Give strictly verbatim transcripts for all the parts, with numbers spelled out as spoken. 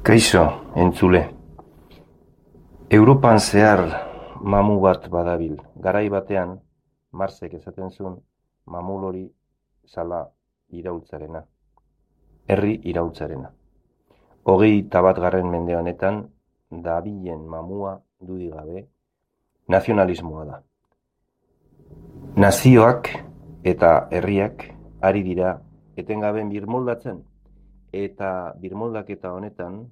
Kaixo, entzule. Europan zehar mamu bat badabil. Garai batean, Marsek esaten zuen, mamul hori zala iraultzarena. Herri iraultzarena. Hogei tabat garren mende honetan, dabilen mamua dudigabe, nazionalismoa da. Nazioak eta herriak ari dira etengaben birmoldatzen. Eta birmoldaketa honetan,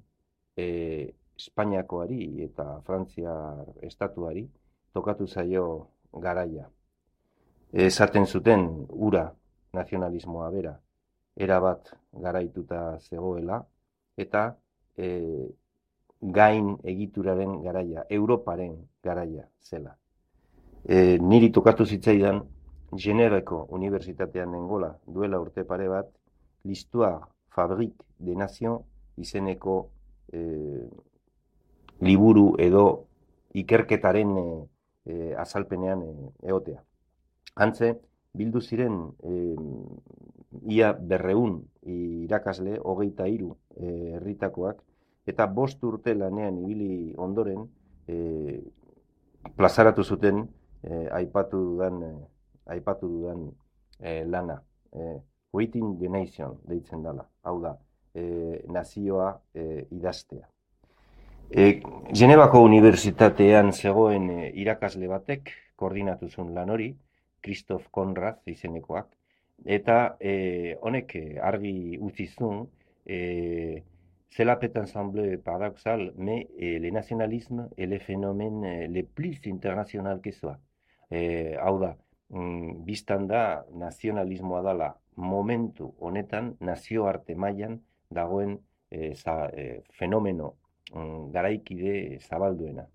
e, Espainiakoari eta Frantziar estatuari tokatu zaio garaia. Esaten zuten ura nazionalismoa bera, erabat garaituta zegoela, eta e, gain egituraren garaia, Europaren garaia zela. E, niri tokatu zitzaidan, Geneveko Unibertsitatean nengola duela urte pare bat, l'histoire Fabrique de Nation izeneko e, liburu edo ikerketaren e, e, azalpenean e, egotea. Hantze, bildu ziren e, ia berreun irakasle, hogeita hiru e, herritakoak, eta bost urte lanean ibili ondoren e, plazaratu zuten e, aipatu dudan, e, aipatu dudan e, lana. E, Waiting the Nation deitzen dela, hau da, e, nazioa e, idaztea. E, Genevako Unibertsitatean zegoen e, irakasle batek koordinatu zuen lan hori, Christophe Conrad izenekoak, eta e, honek argi utzi zuen, e, c'est la peut ensemble paradoxal, mais e, le nationalisme est le phénomène e, le plus international que soit. E, hau da, mm, biztan da nazionalismoa dela momentu honetan nazioarte mailan dagoen e, za, e, fenomeno mm, garaikide zabalduena.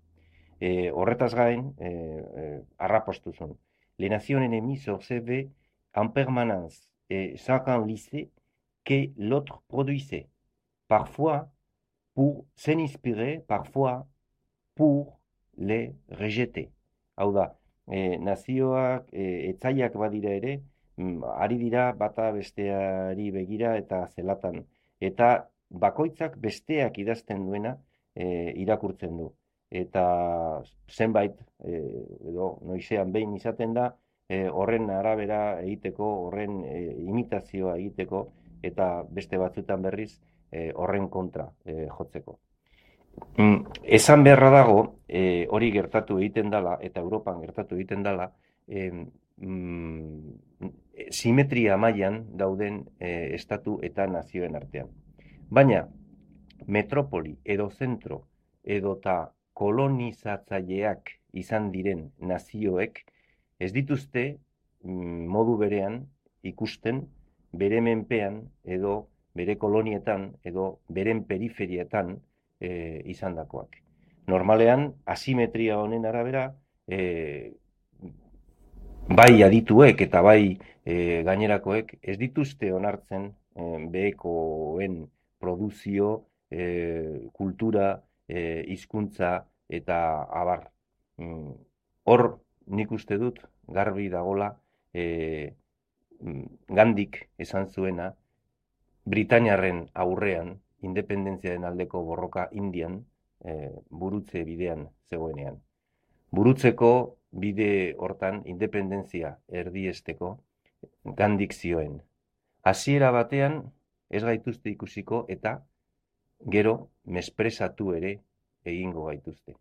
E, horretaz gain, e, e, arrapostu zuen. Les nations ennemies s'observaient en permanence et chacun lisait que l'autre produisait. Parfois pour s'inspirer, parfois pour les rejeter. Hau da, e, nazioak, e, etzaiak badira ere, ari dira bata besteari begira eta zelatan. Eta bakoitzak besteak idazten duena e, irakurtzen du. Eta zenbait, e, edo noizean behin izaten da, e, horren arabera egiteko, horren e, imitazioa egiteko, eta beste batzutan berriz e, horren kontra e, jotzeko. Mm, esan beharra dago, e, hori gertatu egiten dela, eta Europan gertatu egiten dela, e, mm, simetria mailan dauden e, estatu eta nazioen artean. Baina, metropoli edo zentro edota kolonizatzaileak izan diren nazioek ez dituzte mm, modu berean ikusten bere menpean edo bere kolonietan edo beren periferietan e, izandakoak. Normalean, asimetria honen arabera, e, bai adituek eta bai e, gainerakoek ez dituzte onartzen e, behekoen produzio, e, kultura, e, hizkuntza eta abar. Mm, hor nik uste dut garbi dagola e, Gandik esan zuena Britainiarren aurrean independentziaren aldeko borroka Indian e, burutze bidean zegoenean. Burutzeko bide hortan independentzia erdiesteko Gandik zioen. Hasiera batean ez gaituzte ikusiko eta gero mespresatu ere egingo gaituzte.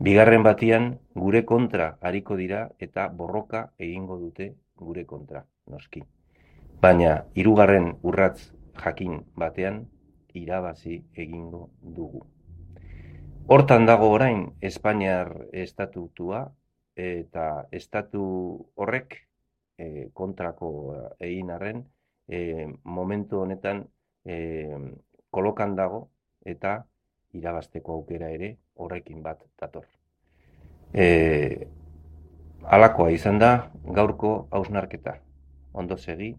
Bigarren batean gure kontra hariko dira eta borroka egingo dute gure kontra, noski. Baina hirugarren urratz jakin batean irabazi egingo dugu. Hortan dago orain Espainiar estatutua eta estatu horrek e, kontrako egin arren e, momentu honetan e, kolokan dago eta irabazteko aukera ere horrekin bat dator. E, halakoa izan da gaurko hausnarketa. Ondo segi.